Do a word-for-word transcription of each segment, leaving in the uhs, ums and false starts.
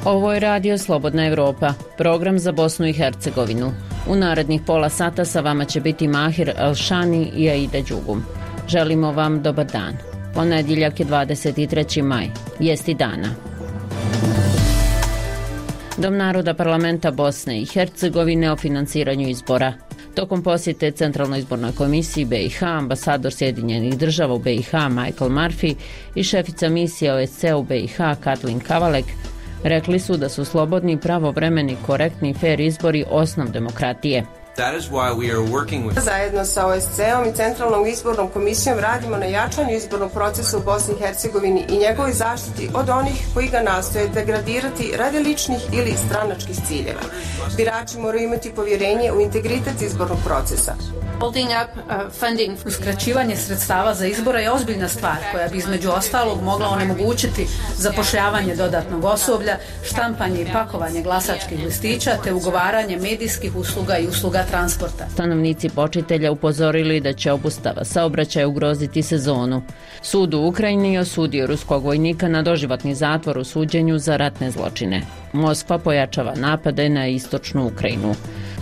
Ovo je Radio Slobodna Evropa, program za Bosnu i Hercegovinu. U narednih pola sata sa vama će biti Mahir Elšani i Aida Đugum. Želimo vam dobar dan. Ponedjeljak je dvadeset treći maj, vijesti dana. Dom naroda parlamenta Bosne i Hercegovine o financiranju izbora. Tokom posjete Centralnoj izbornoj komisiji B i H, ambasador Sjedinjenih država u B i H Michael Murphy i šefica misije O S C u B i H Katlin Kavalek rekli su da su slobodni, pravovremeni, korektni i fer izbori osnov demokratije. With... Zajedno sa O S C-om i Centralnom izbornom komisijom radimo na jačanju izbornog procesa u Bosni i Hercegovini i njegovoj zaštiti od onih koji ga nastoje degradirati radi ličnih ili stranačkih ciljeva. Birači moraju imati povjerenje u integritet izbornog procesa. Uskraćivanje sredstava za izbore je ozbiljna stvar koja bi između ostalog mogla onemogućiti zapošljavanje dodatnog osoblja, štampanje i pakovanje glasačkih listića te ugovaranje medijskih usluga i usluga transporta. Stanovnici Počitelja upozorili da će obustava saobraćaja ugroziti sezonu. Sud u Ukrajini osudio ruskog vojnika na doživotni zatvor u suđenju za ratne zločine. Moskva pojačava napade na istočnu Ukrajinu.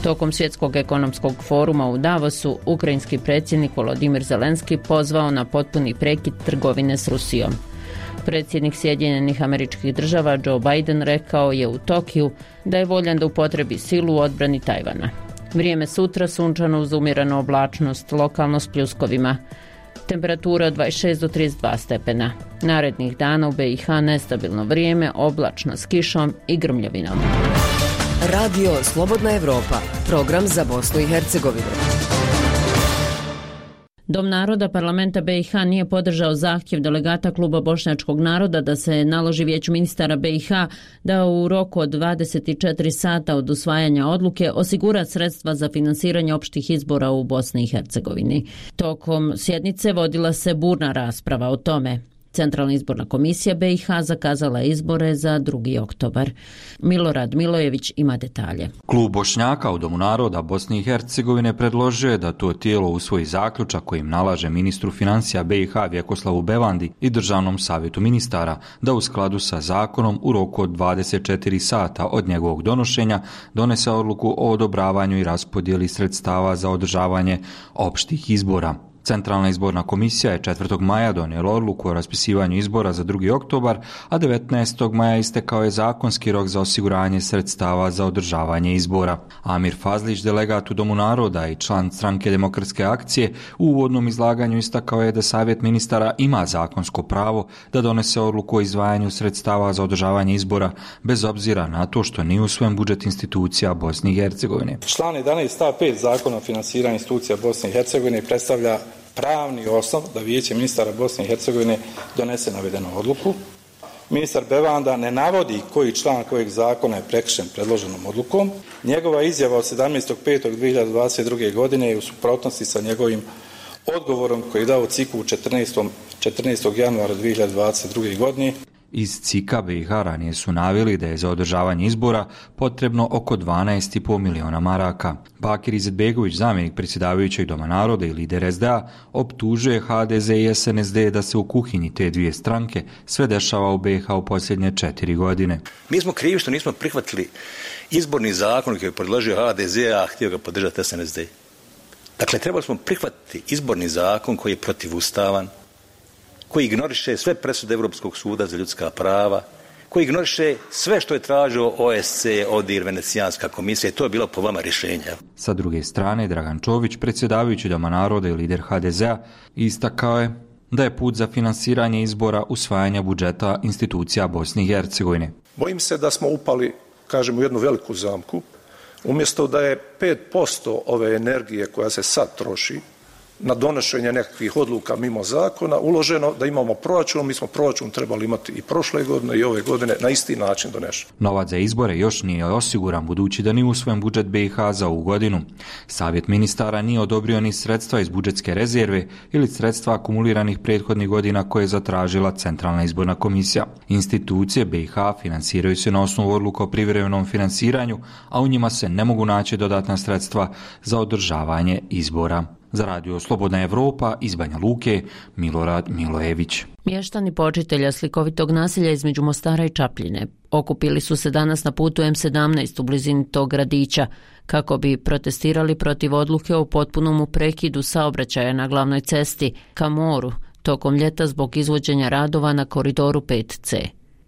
Tokom svjetskog ekonomskog foruma u Davosu, ukrajinski predsjednik Volodimir Zelenski pozvao na potpuni prekid trgovine s Rusijom. Predsjednik Sjedinjenih Američkih Država Joe Biden rekao je u Tokiju da je voljan da upotrebi silu u odbrani Tajvana. Vrijeme sutra sunčano uz umjerenu oblačnost, lokalno s pljuskovima. Temperatura od dvadeset šest do trideset dva stepena. Narednih dana u B i H nestabilno vrijeme, oblačno s kišom i grmljavinom. Radio Slobodna Evropa, program za Bosnu i Hercegovinu. Dom naroda parlamenta B i H nije podržao zahtjev delegata Kluba bošnjačkog naroda da se naloži vijeću ministara B i H da u roku od dvadeset četiri sata od usvajanja odluke osigura sredstva za finansiranje opštih izbora u Bosni i Hercegovini. Tokom sjednice vodila se burna rasprava o tome. Centralna izborna komisija B i H zakazala izbore za drugi oktobar. Milorad Milojević ima detalje. Klub Bošnjaka u Domu naroda Bosne i Hercegovine predložio je da to tijelo usvoji zaključak kojim nalaže ministru financija B i H Vjekoslavu Bevandi i Državnom savjetu ministara da u skladu sa zakonom u roku od dvadeset četiri sata od njegovog donošenja donese odluku o odobravanju i raspodjeli sredstava za održavanje opštih izbora. Centralna izborna komisija je četvrtog maja donijela odluku o raspisivanju izbora za drugi oktobar, a devetnaestog maja istekao je zakonski rok za osiguranje sredstava za održavanje izbora. Amir Fazlić, delegat u Domu naroda i član stranke Demokratske akcije, u uvodnom izlaganju istakao je da Savjet ministara ima zakonsko pravo da donese odluku o izdvajanju sredstava za održavanje izbora, bez obzira na to što nije usvojen budžet institucija Bosne i Hercegovine. Član jedanaest stav pet Zakona o finansiranju institucija Bosne i Hercegovine predstavlja pravni osnov da vijeće ministara Bosne i Hercegovine donese navedenu odluku. Ministar Bevanda ne navodi koji član kojeg zakona je prekršen predloženom odlukom. Njegova izjava od sedamnaestog petog dvije hiljade dvadeset druge. godine je u suprotnosti sa njegovim odgovorom koji je dao C I K U četrnaestog januara dvije hiljade dvadeset druge. godine. Iz C I K A B i H ranije su naveli da je za održavanje izbora potrebno oko dvanaest zarez pet miliona maraka. Bakir Izetbegović, zamjenik predsjedavajućeg Doma naroda i lider S D A, optužuje H D Z i S N S D da se u kuhinji te dvije stranke sve dešava u B i H u posljednje četiri godine. Mi smo krivi što nismo prihvatili izborni zakon koji je predložio H D Z, a htio ga podržati S N S D. Dakle, trebali smo prihvatiti izborni zakon koji je protivustavan, koji ignoriše sve presude Europskog suda za ljudska prava, koji ignoriše sve što je tražio O S C, O D I R, Venecijanska komisija i to je bilo po vama rješenje. Sa druge strane, Dragan Čović, predsjedavajući Doma naroda i lider H D Z-a, istakao je da je put za finansiranje izbora usvajanja budžeta institucija Bosne i Hercegovine. Bojim se da smo upali, kažem, u jednu veliku zamku. Umjesto da je pet posto ove energije koja se sad troši na donošenje nekakvih odluka mimo zakona uloženo da imamo proračun, mi smo proračun trebali imati i prošle godine i ove godine na isti način donešen. Novac za izbore još nije osiguran budući da nije usvojen budžet B i H za ovu godinu. Savjet ministara nije odobrio ni sredstva iz budžetske rezerve ili sredstva akumuliranih prethodnih godina koje je zatražila Centralna izborna komisija. Institucije B i H finansiraju se na osnovu odluka o privremenom finansiranju, a u njima se ne mogu naći dodatna sredstva za održavanje izbora. Za radio Slobodna Evropa iz Banja Luke, Milorad Milojević. Mještani počitelja slikovitog naselja između Mostara i Čapljine okupili su se danas na putu em sedamnaest u blizini tog gradića kako bi protestirali protiv odluke o potpunom prekidu saobraćaja na glavnoj cesti ka moru tokom ljeta zbog izvođenja radova na koridoru pet ce.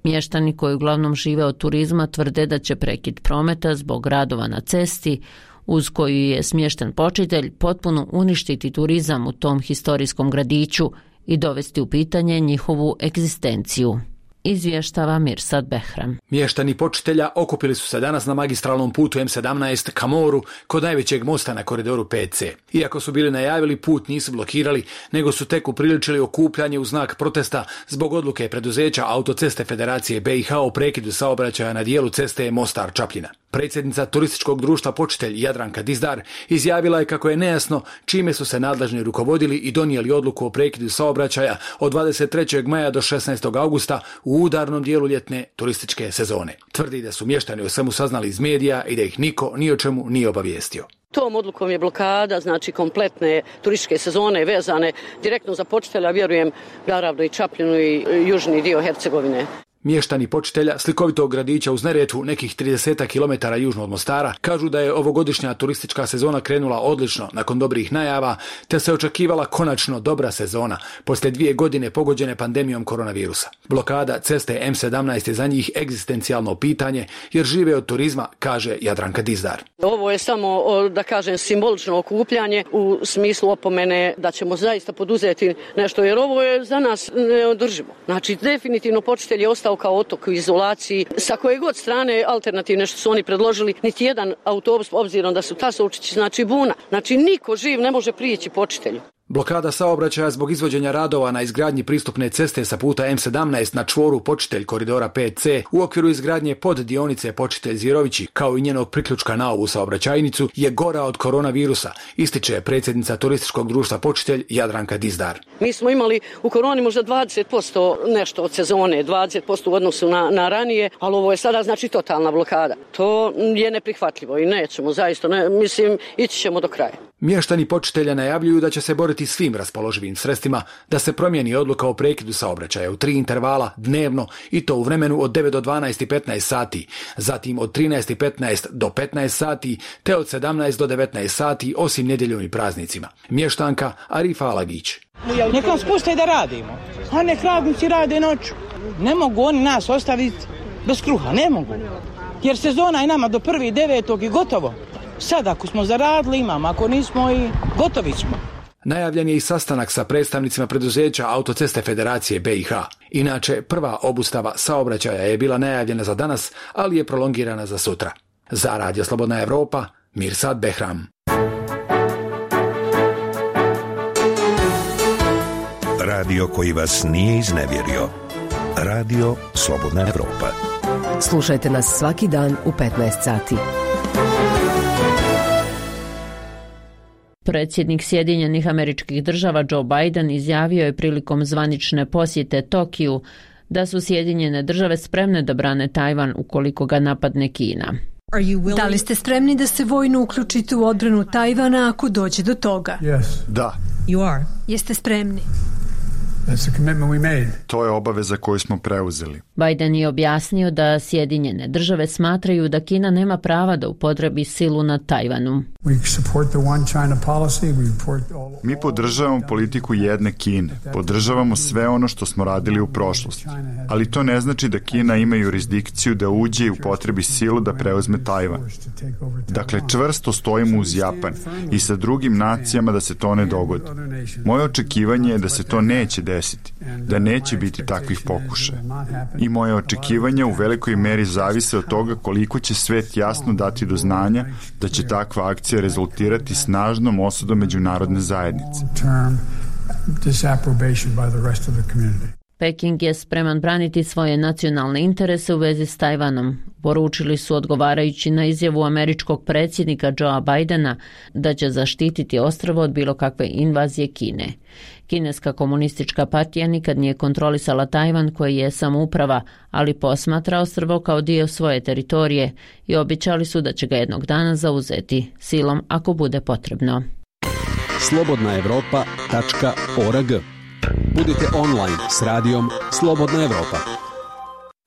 Mještani koji uglavnom žive od turizma tvrde da će prekid prometa zbog radova na cesti uz koju je smješten počitelj potpuno uništiti turizam u tom historijskom gradiću i dovesti u pitanje njihovu egzistenciju. Izvještava Mirsad Behram. Mještani počitelja okupili su se danas na magistralnom putu em sedamnaest ka moru kod najvećeg mosta na koridoru pet ce. Iako su bili najavili, put nisu blokirali, nego su tek upriličili okupljanje u znak protesta zbog odluke preduzeća Autoceste Federacije be i ha o prekidu saobraćaja na dijelu ceste Mostar-Čapljina. Predsjednica turističkog društva Počitelj Jadranka Dizdar izjavila je kako je nejasno čime su se nadležni rukovodili i donijeli odluku o prekidu saobraćaja od dvadeset trećeg maja do šesnaestog augusta u udarnom dijelu ljetne turističke sezone. Tvrdi da su mještani o svemu saznali iz medija i da ih niko ni o čemu nije obavijestio. Tom odlukom je blokada, znači kompletne turističke sezone vezane direktno za Počitelja, vjerujem naravno i Čapljinu i južni dio Hercegovine. Mještani Počitelja, slikovitog gradića uz Neretvu, nekih trideset kilometara južno od Mostara, kažu da je ovogodišnja turistička sezona krenula odlično nakon dobrih najava, te se očekivala konačno dobra sezona poslije dvije godine pogođene pandemijom koronavirusa. Blokada ceste em sedamnaest je za njih egzistencijalno pitanje jer žive od turizma, kaže Jadranka Dizdar. Ovo je samo, da kažem, simbolično okupljanje u smislu opomene da ćemo zaista poduzeti nešto, jer ovo je za nas neodrživo. Znači, definitivno Počitelj je ostao kao otok u izolaciji. Sa koje god strane alternativne što su oni predložili, niti jedan autobus, obzirom da su Tasovčići, znači buna. Znači, niko živ ne može prijeći Počitelju. Blokada saobraćaja zbog izvođenja radova na izgradnji pristupne ceste sa puta em sedamnaest na čvoru Počitelj koridora pet ce u okviru izgradnje pod dionice Počitelj Zirovići kao i njenog priključka na ovu saobraćajnicu je gora od koronavirusa, ističe predsjednica turističkog društva Počitelj Jadranka Dizdar. Mi smo imali u koroni možda dvadeset posto nešto od sezone, dvadeset posto u odnosu na, na ranije, ali ovo je sada znači totalna blokada. To je neprihvatljivo i nećemo, zaista, ne, mislim, ići ćemo do kraja. Mještani Počitelja najavljuju da će se boriti svim raspoloživim sredstvima da se promijeni odluka o prekidu saobraćaja u tri intervala dnevno i to u vremenu od devet do dvanaest i petnaest sati, zatim od trinaest i petnaest do petnaest sati, te od sedamnaest do devetnaest sati osim nedjeljom i praznicima. Mještanka Arifa Alagić. Nek nam spuste da radimo, a nek radnici rade noću. Ne mogu oni nas ostaviti bez kruha, ne mogu. Jer sezona je nama do prvi devetog i gotovo. Sad ako smo zaradili imamo, ako nismo i gotovi smo. Najavljen je i sastanak sa predstavnicima preduzeća Autoceste Federacije be i ha. Inače, prva obustava saobraćaja je bila najavljena za danas, ali je prolongirana za sutra. Za Radio Slobodna Evropa, Mirsad Behram. Radio koji vas nije iznevjerio. Radio Slobodna Evropa. Slušajte nas svaki dan u petnaest sati. Predsjednik Sjedinjenih Američkih Država Joe Biden izjavio je prilikom zvanične posjete Tokiju da su Sjedinjene Države spremne da brane Tajvan ukoliko ga napadne Kina. Da li ste spremni da se vojno uključite u odbranu Tajvana ako dođe do toga? Yes. Da. You are. Jeste spremni? That's a commitment we made. To je obaveza koju smo preuzeli. Biden je objasnio da Sjedinjene Države smatraju da Kina nema prava da upotrebi silu nad Tajvanu. Mi podržavamo politiku jedne Kine. Podržavamo sve ono što smo radili u prošlosti. Ali to ne znači da Kina ima jurisdikciju da uđe i upotrebi silu da preuzme Tajvan. Dakle, čvrsto stojimo uz Japan i sa drugim nacijama da se to ne dogodi. Moje očekivanje je da se to neće desiti, da neće biti takvih pokušaja. I moje očekivanje u velikoj meri zavise od toga koliko će svet jasno dati do znanja da će takva akcija rezultirati snažnom osudom međunarodne zajednice. Peking je spreman braniti svoje nacionalne interese u vezi s Tajvanom. Poručili su odgovarajući na izjavu američkog predsjednika Joea Bidena da će zaštititi ostrvo od bilo kakve invazije Kine. Kineska komunistička partija nikad nije kontrolisala Tajvan koji je samouprava, ali posmatra ostrvo kao dio svoje teritorije i obećali su da će ga jednog dana zauzeti silom ako bude potrebno. slobodna evropa tačka org. Budite online s radijom Slobodna Evropa.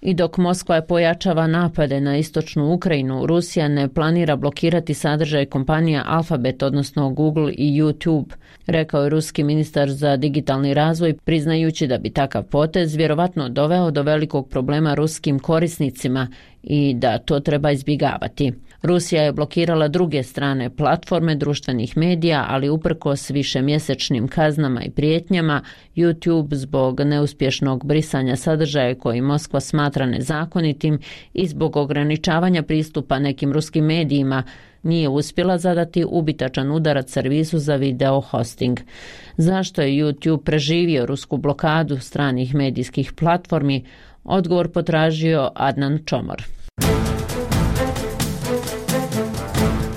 I dok Moskva pojačava napade na istočnu Ukrajinu, Rusija ne planira blokirati sadržaj kompanija Alphabet, odnosno Google i YouTube, rekao je ruski ministar za digitalni razvoj, priznajući da bi takav potez vjerovatno doveo do velikog problema ruskim korisnicima i da to treba izbjegavati. Rusija je blokirala druge strane platforme društvenih medija, ali uprkos višemjesečnim kaznama i prijetnjama, YouTube zbog neuspješnog brisanja sadržaja koji Moskva smatra nezakonitim i zbog ograničavanja pristupa nekim ruskim medijima nije uspjela zadati ubitačan udarac servisu za video hosting. Zašto je YouTube preživio rusku blokadu stranih medijskih platformi? Odgovor potražio Adnan Čomor.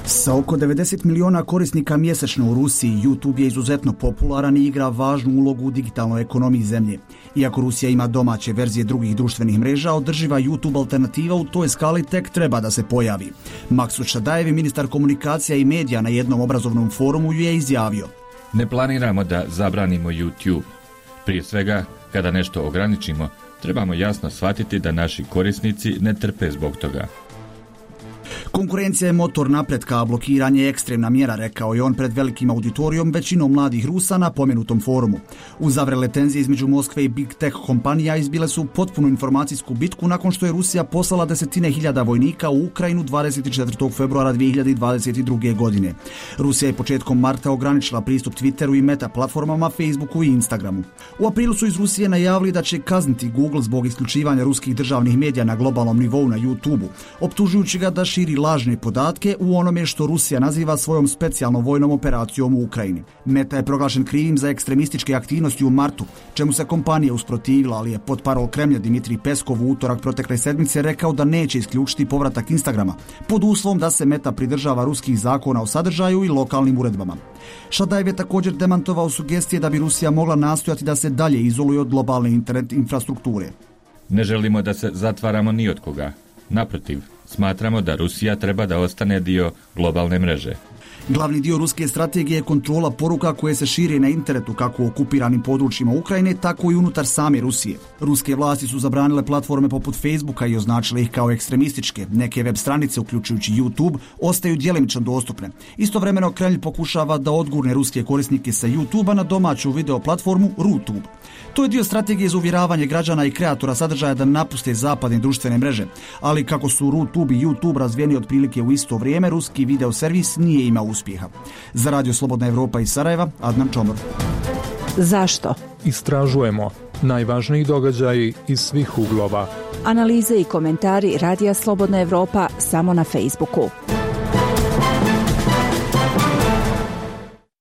Sa oko devedeset miliona korisnika mjesečno u Rusiji, YouTube je izuzetno popularan i igra važnu ulogu u digitalnoj ekonomiji zemlje. Iako Rusija ima domaće verzije drugih društvenih mreža, održiva YouTube alternativa u toj skali tek treba da se pojavi. Maksud Šadajev, ministar komunikacija i medija na jednom obrazovnom forumu, je izjavio: Ne planiramo da zabranimo YouTube. Prije svega, kada nešto ograničimo, trebamo jasno shvatiti da naši korisnici ne trpe zbog toga. Konkurencija je motor napretka, a blokiranje je ekstremna mjera, rekao je on pred velikim auditorijom većinom mladih Rusa na pomenutom forumu. Uzavrele tenzije između Moskve i Big Tech kompanija izbile su potpunu informacijsku bitku nakon što je Rusija poslala desetine hiljada vojnika u Ukrajinu dvadeset četvrtog februara dvije hiljade dvadeset druge. godine. Rusija je početkom marta ograničila pristup Twitteru i meta platformama Facebooku i Instagramu. U aprilu su iz Rusije najavili da će kazniti Google zbog isključivanja ruskih državnih medija na globalnom nivou na YouTubeu, optužujući ga da širi lažne podatke u onome što Rusija naziva svojom specijalnom vojnom operacijom u Ukrajini. Meta je proglašen krivim za ekstremističke aktivnosti u martu, čemu se kompanija usprotivila, ali je potparol Kremlja Dimitrij Peskov u utorak protekle sedmice rekao da neće isključiti povratak Instagrama, pod uslovom da se Meta pridržava ruskih zakona o sadržaju i lokalnim uredbama. Šadajev je također demantovao sugestije da bi Rusija mogla nastojati da se dalje izoluje od globalne internet infrastrukture. Ne želimo da se zatvaramo ni od koga. Naprotiv, smatramo da Rusija treba da ostane dio globalne mreže. Glavni dio ruske strategije je kontrola poruka koje se šire na internetu kako u okupiranim područjima Ukrajine, tako i unutar same Rusije. Ruske vlasti su zabranile platforme poput Facebooka i označile ih kao ekstremističke. Neke web stranice, uključujući YouTube, ostaju djelimično dostupne. Istovremeno Kremlj pokušava da odgurne ruske korisnike sa YouTubea na domaću video platformu RuTube. To je dio strategije za uvjeravanje građana i kreatora sadržaja da napuste zapadne društvene mreže. Ali kako su RuTube i YouTube razvijeni otprilike u isto vrijeme, ruski video servis nije imao uspjeha. Za Radio Slobodna Evropa iz Sarajeva, Adnan Čomor. Zašto? Istražujemo najvažniji događaji iz svih uglova. Analize i komentari Radija Slobodna Evropa samo na Facebooku.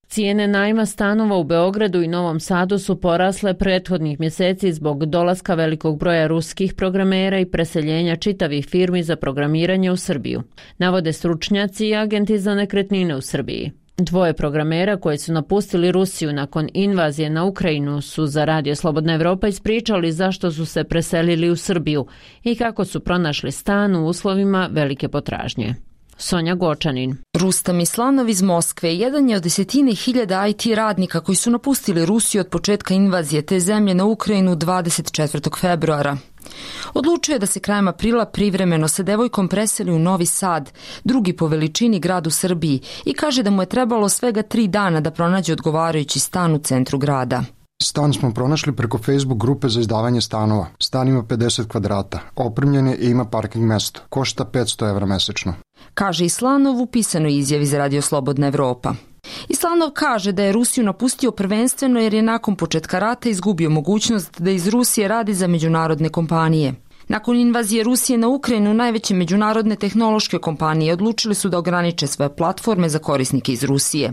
Cijene najma stanova u Beogradu i Novom Sadu su porasle prethodnih mjeseci zbog dolaska velikog broja ruskih programera i preseljenja čitavih firmi za programiranje u Srbiju, navode stručnjaci i agenti za nekretnine u Srbiji. Dvoje programera koji su napustili Rusiju nakon invazije na Ukrajinu su za Radio Slobodna Evropa ispričali zašto su se preselili u Srbiju i kako su pronašli stan u uslovima velike potražnje. Sonja Gočanin. Rustam Islanov iz Moskve jedan je od desetine hiljada I T radnika koji su napustili Rusiju od početka invazije te zemlje na Ukrajinu dvadeset četvrtog februara. Odlučio je da se krajem aprila privremeno sa devojkom preseli u Novi Sad, drugi po veličini grad u Srbiji, i kaže da mu je trebalo svega tri dana da pronađe odgovarajući stan u centru grada. Stan smo pronašli preko Facebook grupe za izdavanje stanova. Stan ima pedeset kvadrata, opremljen je i ima parking mesto. Košta petsto evra mesečno. Kaže Islanov u pisanoj izjavi za Radio Slobodna Evropa. Islanov kaže da je Rusiju napustio prvenstveno jer je nakon početka rata izgubio mogućnost da iz Rusije radi za međunarodne kompanije. Nakon invazije Rusije na Ukrajinu, najveće međunarodne tehnološke kompanije odlučili su da ograniče svoje platforme za korisnike iz Rusije.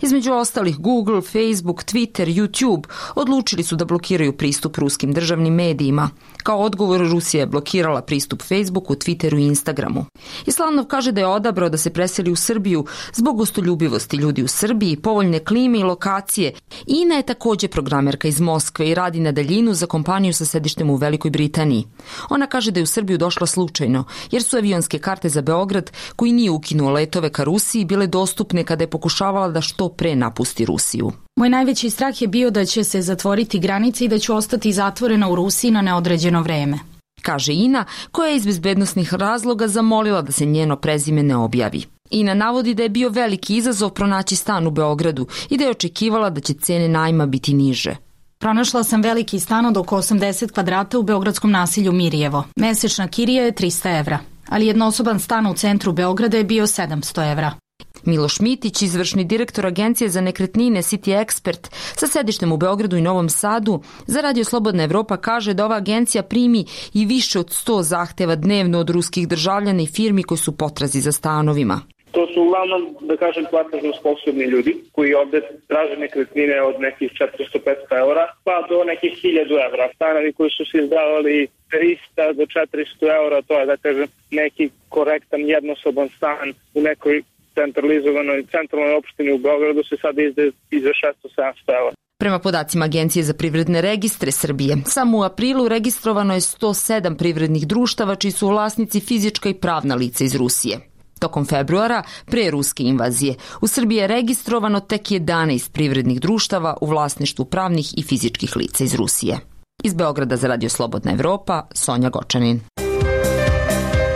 Između ostalih Google, Facebook, Twitter, YouTube odlučili su da blokiraju pristup ruskim državnim medijima. Kao odgovor, Rusija je blokirala pristup Facebooku, Twitteru i Instagramu. Islanov kaže da je odabrao da se preseli u Srbiju zbog gostoljubivosti ljudi u Srbiji, povoljne klime i lokacije. Ina je također programerka iz Moskve i radi na daljinu za kompaniju sa sedištem u Velikoj Britaniji. Ona kaže da je u Srbiju došla slučajno, jer su avionske karte za Beograd, koji nije ukinuo letove ka Rusiji, bile dostupne kada je pokušavala da što pre napusti Rusiju. Moj najveći strah je bio da će se zatvoriti granice i da ću ostati zatvorena u Rusiji na neodređeno vreme, kaže Ina, koja je iz bezbednosnih razloga zamolila da se njeno prezime ne objavi. Ina navodi da je bio veliki izazov pronaći stan u Beogradu i da je očekivala da će cene najma biti niže. Pronašla sam veliki stan od oko osamdeset kvadrata u beogradskom nasilju Mirjevo. Mesečna kirija je trista evra, ali jednosoban stan u centru Beograda je bio sedamsto evra. Miloš Mitić, izvršni direktor Agencije za nekretnine City Expert sa sedištem u Beogradu i Novom Sadu, za Radio Slobodna Evropa kaže da ova agencija primi i više od sto zahteva dnevno od ruskih državljana i firmi koji su potrazi za stanovima. To su uglavnom, da kažem, platežno sposobni ljudi koji ovde traže nekretnine od nekih četiristo do petsto eura pa do nekih hiljadu evra. Stanovi koji su se izdavali trista do četiristo eura, to je, da kažem, neki korektan jednosoban stan u nekoj centralizovanoj centralnoj opštini u Beogradu se sada izdaje i za šesto do sedamsto eura. Prema podacima Agencije za privredne registre Srbije, samo u aprilu registrovano je sto sedam privrednih društava čiji su vlasnici fizička i pravna lica iz Rusije. Tokom februara, pre ruske invazije, u Srbiji je registrovano tek jedanaest privrednih društava u vlasništvu pravnih i fizičkih lica iz Rusije. Iz Beograda za Radio Slobodna Evropa, Sonja Gočanin.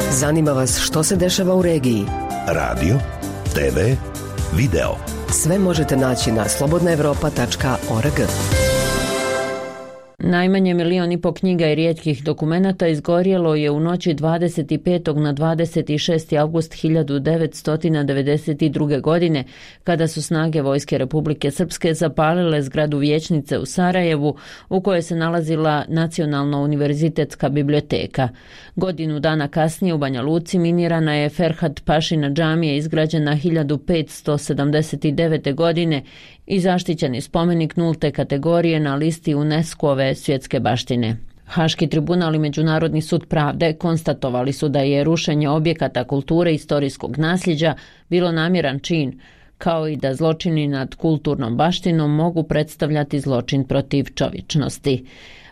Zanima vas što se dešava u regiji? Radio, te ve, video. Sve možete naći na slobodna evropa tačka org. Najmanje milion i po knjiga i rijetkih dokumenata izgorjelo je u noći dvadeset petog na dvadeset šesti avgust hiljadu devetsto devedeset druge. godine, kada su snage Vojske Republike Srpske zapalile zgradu vijećnice u Sarajevu, u kojoj se nalazila Nacionalna univerzitetska biblioteka. Godinu dana kasnije u Banja Luci minirana je Ferhat Pašina džamija izgrađena hiljadu petsto sedamdeset devete. godine i zaštićeni spomenik nulte kategorije na listi UNESCO-ove svjetske baštine. Haški tribunal i Međunarodni sud pravde konstatovali su da je rušenje objekata kulture i istorijskog nasljeđa bilo namjeran čin, kao i da zločini nad kulturnom baštinom mogu predstavljati zločin protiv čovječnosti.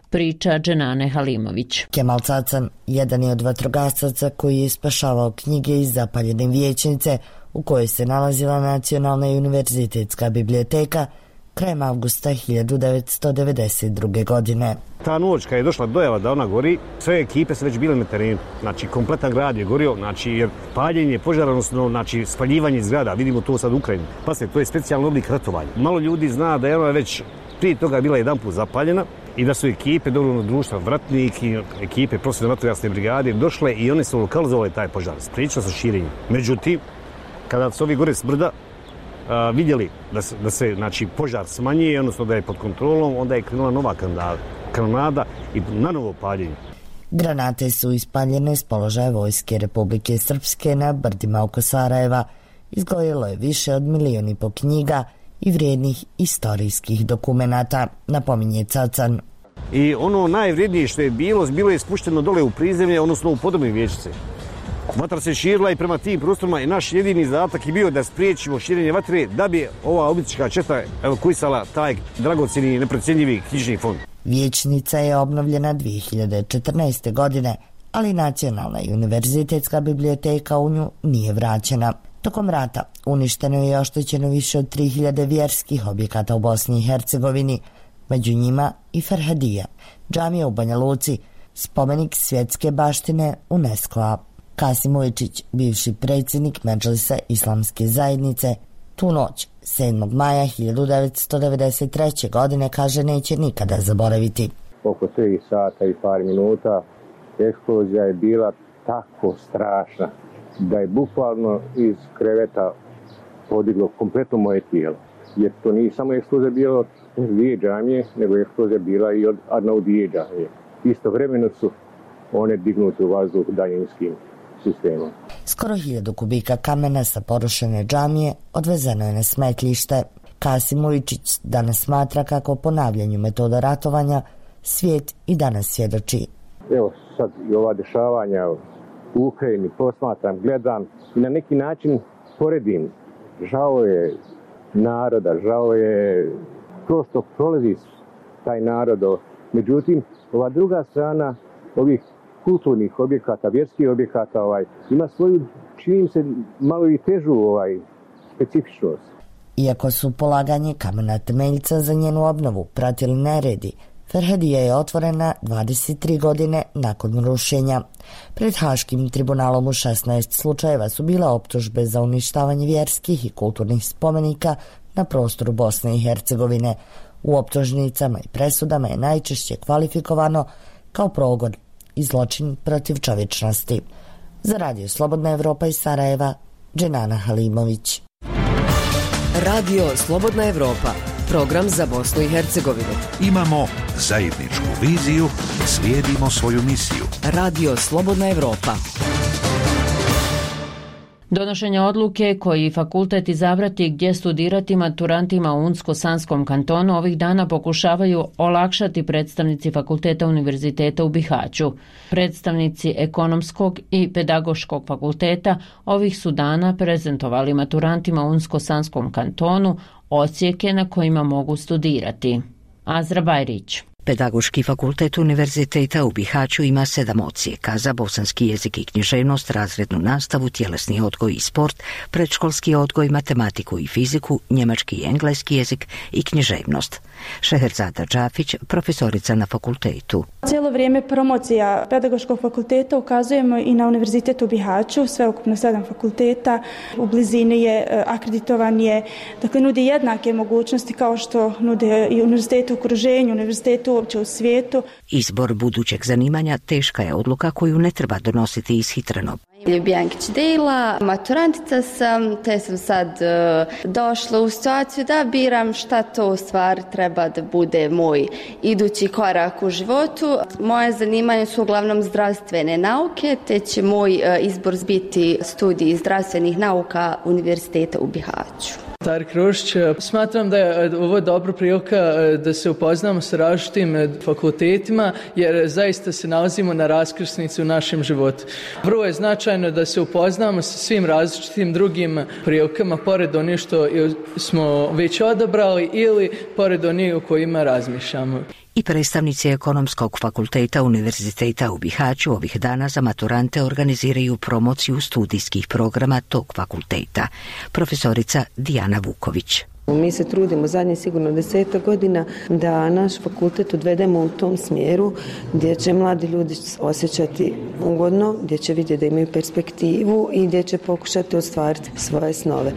Priča Dženane Halimović. Kemal Cacan jedan je od vatrogasaca koji je spašavao knjige iz zapaljene vijećnice u kojoj se nalazila Nacionalna i univerzitetska biblioteka krajem avgusta hiljadu devetsto devedeset druge. godine. Ta noć kad je došla dojava da ona gori, sve ekipe su već bile na terenu. Znači, kompletan grad je gorio, znači, jer paljenje požara, odnosno, znači, spaljivanje zgrada, vidimo to sad u Ukrajini. Pa se, to je specijalni oblik ratovanja. Malo ljudi zna da je ona već prije toga bila jedan put zapaljena i da su ekipe dobrovoljnog društva Vratnik i ekipe profesionalne vatrogasne brigade došle i one su lokalizovali taj požar. Spriječilo se širenje. Međutim, kada su ovi gore s brda a, vidjeli da se, da se znači, požar smanjuje, odnosno da je pod kontrolom, onda je krenula nova kanonada i na novo paljenje. Granate su ispaljene s položaja Vojske Republike Srpske na brdima oko Sarajeva. Izgorjelo je više od milion i po knjiga i vrijednih istorijskih dokumenata, napominje Cacan. I ono najvrijednije što je bilo, bilo je spušteno dole u prizemlje, odnosno u podobne vijećnice. Vatra se širila i prema tim prostorima i naš jedini zadatak je bio da spriječimo širenje vatre da bi ova obička četa evakuisala taj dragocjeni i neprocjenjivi knjižni fond. Vijećnica je obnovljena dvije hiljade četrnaeste. godine, ali Nacionalna i univerzitetska biblioteka u nju nije vraćena. Tokom rata uništeno je i oštećeno više od tri hiljade vjerskih objekata u Bosni i Hercegovini, među njima i Ferhadija, džamija u Banja Luci, spomenik svjetske baštine UNESCO-a. Kasim Ujčić, bivši predsjednik Medžlisa Islamske zajednice, tu noć, sedmog maja hiljadu devetsto devedeset treće. godine, kaže neće nikada zaboraviti. Oko tri sata i par minuta eksplozija je bila tako strašna da je bukvalno iz kreveta podiglo kompletno moje tijelo. Jer to nije samo eksplozija bila od dvije džamije, nego je eksplozija bila i od Arnaudije džamije. Istovremeno su one dignute u vazduh daljinskim sistemom. Skoro hiljadu kubika kamena sa porušene džamije odvezeno je na smetljište. Kasim Ujčić danas smatra kako ponavljanju metoda ratovanja svijet i danas svjedoči. Evo sad i ova dešavanja u Ukrajini posmatram, gledam i na neki način poredim. Žao je naroda, žao je to što prolazi taj narod. Međutim, ova druga strana ovih kulturnih objekata, vjerskih objekata, ovaj, ima svoju, čini se, malo i težu ovaj, specifičnost. Iako su polaganje kamena temeljca za njenu obnovu pratili neredi, Ferhedija je otvorena dvadeset tri godine nakon rušenja. Pred Haškim tribunalom u šesnaest slučajeva su bile optužbe za uništavanje vjerskih i kulturnih spomenika na prostoru Bosne i Hercegovine. U optužnicama i presudama je najčešće kvalifikovano kao progon i zločin protiv čovječnosti. Za Radio Slobodna Evropa iz Sarajeva, Dženana Halimović. Radio Slobodna Evropa, program za Bosnu i Hercegovinu. Imamo zajedničku viziju, slijedimo svoju misiju. Radio Slobodna Evropa. Donošenje odluke koji fakultet izabrati gdje studirati maturantima u Unsko-Sanskom kantonu ovih dana pokušavaju olakšati predstavnici fakulteta Univerziteta u Bihaću. Predstavnici ekonomskog i pedagoškog fakulteta ovih su dana prezentovali maturantima u Unsko-Sanskom kantonu odsjeke na kojima mogu studirati. Azra Bajrić. Pedagoški fakultet Univerziteta u Bihaću ima sedam odsjeka za bosanski jezik i književnost, razrednu nastavu, tjelesni odgoj i sport, predškolski odgoj, matematiku i fiziku, njemački i engleski jezik i književnost. Šeherzada Džafić, profesorica na fakultetu. Cijelo vrijeme promocija pedagoškog fakulteta ukazujemo i na Univerzitetu u Bihaću, sveukupno sedam fakulteta, u blizini je, akreditovan je, dakle nudi jednake mogućnosti kao što nude i univerzitetu u okruženju, univerzitetu uopće u svijetu. Izbor budućeg zanimanja teška je odluka koju ne treba donositi ishitreno. Ljubijankić Dejla, maturantica sam, te sam sad uh, došla u situaciju da biram šta to u stvari treba da bude moj idući korak u životu. Moje zanimanje su uglavnom zdravstvene nauke, te će moj uh, izbor biti studij zdravstvenih nauka Univerziteta u Bihaću. Tarik Rošić, smatram da je ovo dobra prilika da se upoznamo sa različitim fakultetima jer zaista se nalazimo na raskrsnici u našem životu. Vrlo je značajno da se upoznamo sa svim različitim drugim prilikama pored onih što smo već odabrali ili pored onih o kojima razmišljamo. I predstavnici ekonomskog fakulteta Univerziteta u Bihaću ovih dana za maturante organiziraju promociju studijskih programa tog fakulteta. Profesorica Dijana Vuković. Mi se trudimo zadnje sigurno deseta godina da naš fakultet odvedemo u tom smjeru gdje će mladi ljudi osjećati ugodno, gdje će vidjeti da imaju perspektivu i gdje će pokušati ostvariti svoje snove.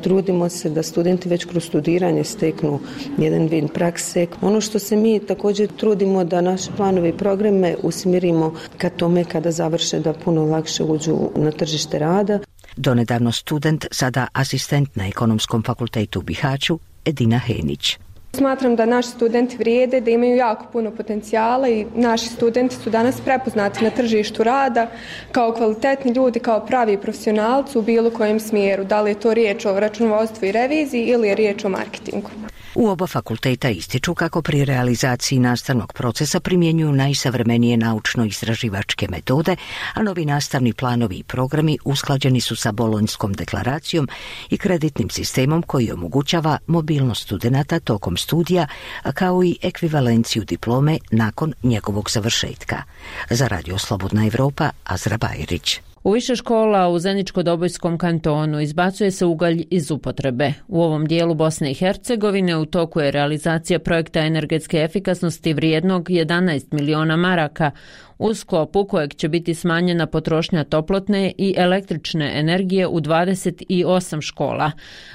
Trudimo se da studenti već kroz studiranje steknu jedan vid prakse. Ono što se mi također trudimo da naše planove i programe usmjerimo ka tome kada završe da puno lakše uđu na tržište rada. Donedavno student, sada asistent na ekonomskom fakultetu u Bihaću, Edina Henić. Smatram da naši studenti vrijede, da imaju jako puno potencijala i naši studenti su danas prepoznati na tržištu rada kao kvalitetni ljudi, kao pravi profesionalci u bilo kojem smjeru. Da li je to riječ o računovodstvu i reviziji ili je riječ o marketingu. U oba fakulteta ističu kako pri realizaciji nastavnog procesa primjenjuju najsavremenije naučno-istraživačke metode, a novi nastavni planovi i programi usklađeni su sa Bolonjskom deklaracijom i kreditnim sistemom koji omogućava mobilnost studenata tokom studija, kao i ekvivalenciju diplome nakon njegovog završetka. Za Radio Slobodna Evropa, Azra Bajrić. U više škola u Zeničko-Dobojskom kantonu izbacuje se ugalj iz upotrebe. U ovom dijelu Bosne i Hercegovine u toku je realizacija projekta energetske efikasnosti vrijednog jedanaest miliona maraka, u sklopu kojeg će biti smanjena potrošnja toplotne i električne energije u dvadeset osam škola.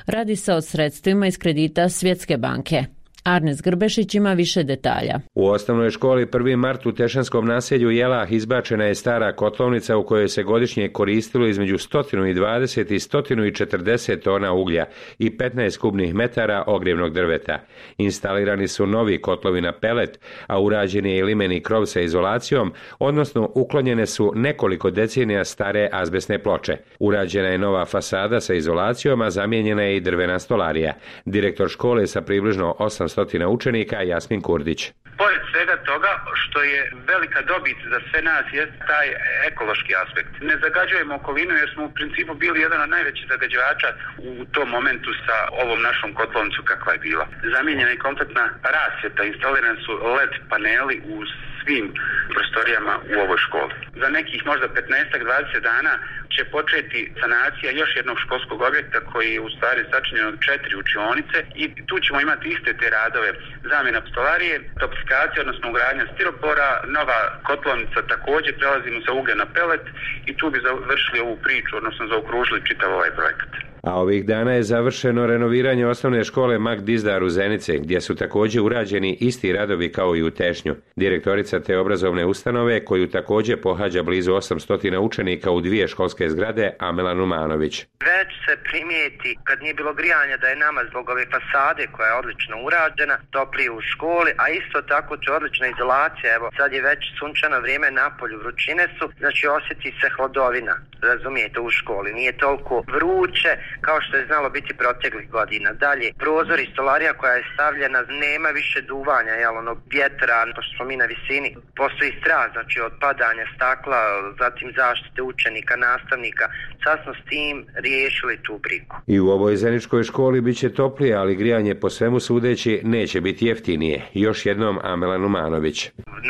Radi se o sredstvima iz kredita Svjetske banke. Arnes Grbešić ima više detalja. U osnovnoj školi prvi mart u Tešanskom naselju Jelah izbačena je stara kotlovnica u kojoj se godišnje koristilo između sto dvadeset i sto četrdeset tona uglja i petnaest kubnih metara ogrjevnog drveta. Instalirani su novi kotlovi na pelet, a urađen je i limeni krov sa izolacijom, odnosno uklonjene su nekoliko decenija stare azbestne ploče. Urađena je nova fasada sa izolacijom, a zamijenjena je i drvena stolarija. Direktor škole sa približno osamsto učenika Jasmin Kurdić. Pored svega toga što je velika dobit za sve nas je taj ekološki aspekt. Ne zagađujemo okolinu jer smo u principu bili jedan od najvećih zagađivača u tom momentu sa ovom našom kotlovnicom kakva je bila. Zamijenjena je kompletna rasvjeta, instalirani su el e de paneli u svim prostorijama u ovoj školi. Za nekih možda petnaest do dvadeset dana će početi sanacija još jednog školskog objekta koji je u stvari sačinjen od četiri učionice i tu ćemo imati iste te radove. Zamjena stolarije, toksikacija, odnosno ugradnja stiropora, nova kotlovnica, također prelazimo sa uglja na pelet i tu bi završili ovu priču, odnosno zaokružili čitav ovaj projekat. A ovih dana je završeno renoviranje osnovne škole Mak Dizdar u Zenice, gdje su također urađeni isti radovi kao i u Tešnju. Direktorica te obrazovne ustanove, koju također pohađa blizu osamsto učenika u dvije školske zgrade, Amela Numanović. Već se primijeti, kad nije bilo grijanja, da je nama zbog ove fasade koja je odlično urađena, toplije u školi, a isto tako će odlična izolacija. Evo, sad je već sunčano vrijeme, napolju vrućine su, znači osjeti se hladovina, razumijete, u školi. Nije toliko vruće kao što je znalo biti proteklih godina. Dalje, prozor i stolarija koja je stavljena, nema više duvanja, jel, ono, vjetra, pošto smo mi na visini, postoji strah, znači od padanja stakla, zatim zaštite učenika, nastavnika. Sad smo s tim riješili tu brigu. I u ovoj zeničkoj školi bit će toplije, ali grijanje po svemu sudeći neće biti jeftinije. Još jednom Amela Numanović.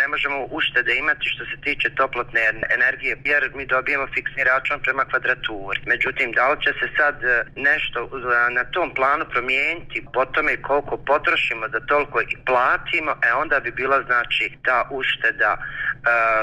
Ne možemo uštede imati što se tiče toplotne energije, jer mi dobijemo fiksni račun prema kvadraturi. Međutim, da li će se sad nešto na tom planu promijeniti po tome koliko potrošimo da toliko i platimo, e onda bi bila znači ta ušteda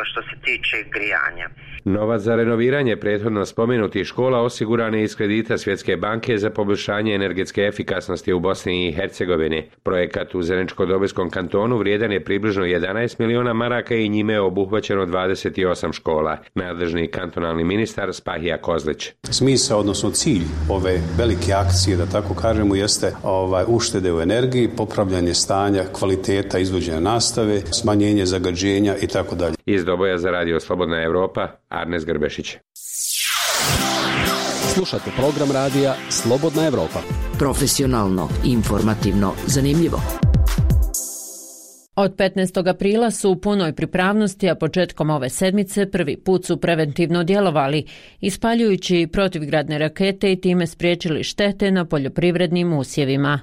što se tiče grijanja. Novac za renoviranje prethodno spomenutih škola osiguran je iz kredita Svjetske banke za poboljšanje energetske efikasnosti u Bosni i Hercegovini. Projekat u Zeničko-Dobojskom kantonu vrijedan je približno jedanaest miliona maraka i njime je obuhvaćeno dvadeset osam škola. Nadležni kantonalni ministar Spahija Kozlić. Smisao, odnosno cilj ove velike akcije, da tako kažemo, jeste ovaj, uštede u energiji, popravljanje stanja, kvaliteta izvođenja nastave, smanjenje zagađenja i tako dalje. Iz Doboja za Radio Slobodna Evropa, Arnes Grbešić. Slušate program radija Slobodna Evropa. Profesionalno, informativno, zanimljivo. Od petnaestog aprila su u punoj pripravnosti, a početkom ove sedmice prvi put su preventivno djelovali, ispaljujući protivgradne rakete i time spriječili štete na poljoprivrednim usjevima.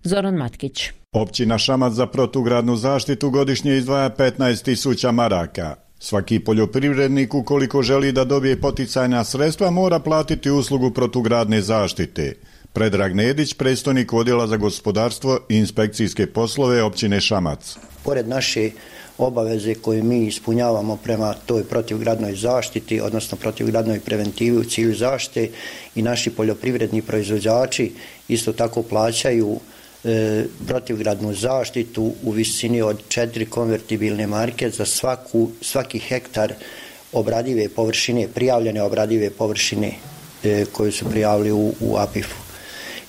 Zoran Matkić. Općina Šamac za protugradnu zaštitu godišnje izdvaja petnaest tisuća maraka. Svaki poljoprivrednik, ukoliko želi da dobije poticajna sredstva, mora platiti uslugu protugradne zaštite. Predrag Nedić, predstojnik odjela za gospodarstvo i inspekcijske poslove općine Šamac. Pored naše obaveze koje mi ispunjavamo prema toj protivgradnoj zaštiti, odnosno protivgradnoj preventivi u cilju zaštite, i naši poljoprivredni proizvođači isto tako plaćaju e, protivgradnu zaštitu u visini od četiri konvertibilne marke za svaku, svaki hektar obradive površine, prijavljene obradive površine e, koje su prijavili u, u A P I F-u.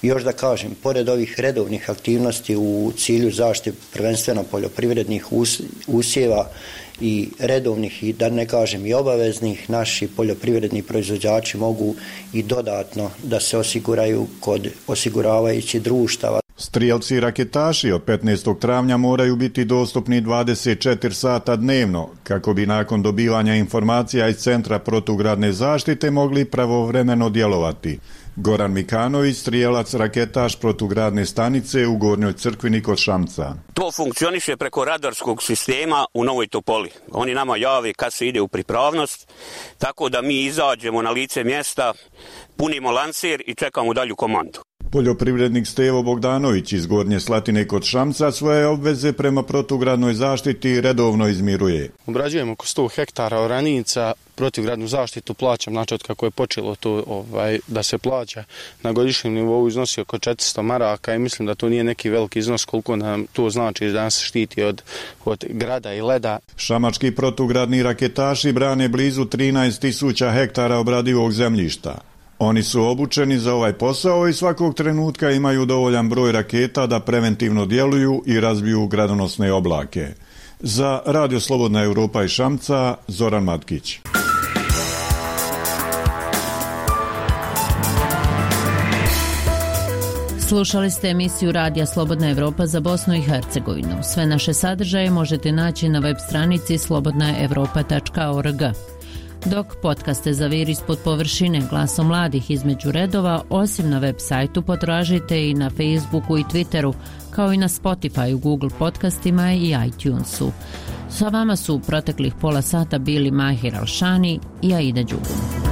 I još da kažem, pored ovih redovnih aktivnosti u cilju zaštite prvenstveno poljoprivrednih us, usjeva i redovnih i da ne kažem i obaveznih, naši poljoprivredni proizvođači mogu i dodatno da se osiguraju kod osiguravajućih društava. Strijelci i raketaši od petnaestog travnja moraju biti dostupni dvadeset četiri sata dnevno, kako bi nakon dobivanja informacija iz Centra protugradne zaštite mogli pravovremeno djelovati. Goran Mikanović, strijelac raketaš protugradne stanice u Gornjoj Crkvini kod Šamca. To funkcioniše preko radarskog sistema u Novoj Topoli. Oni nama jave kad se ide u pripravnost, tako da mi izađemo na lice mjesta, punimo lancir i čekamo dalju komandu. Poljoprivrednik Stevo Bogdanović iz Gornje Slatine kod Šamca svoje obveze prema protugradnoj zaštiti redovno izmiruje. Obrađujemo oko sto hektara oranica, protivgradnu zaštitu plaćam, znači od kako je počelo to ovaj, da se plaća na godišnjem nivou iznosi oko četiristo maraka i mislim da to nije neki veliki iznos koliko nam to znači da nas štiti od, od grada i leda. Šamački protugradni raketaši brane blizu trinaest tisuća hektara obradivog zemljišta. Oni su obučeni za ovaj posao i svakog trenutka imaju dovoljan broj raketa da preventivno djeluju i razbiju gradonosne oblake. Za Radio Slobodna Evropa i Šamca, Zoran Matkić. Slušali ste emisiju Radija Slobodna Evropa za Bosnu i Hercegovinu. Sve naše sadržaje možete naći na web stranici slobodna evropa tačka org. Dok podcaste Zavir ispod površine, glasom mladih između redova, osim na web sajtu potražite i na Facebooku i Twitteru, kao i na Spotify, Google podcastima i iTunesu. Sa vama su proteklih pola sata bili Mahir Alšani i Aida Đugum.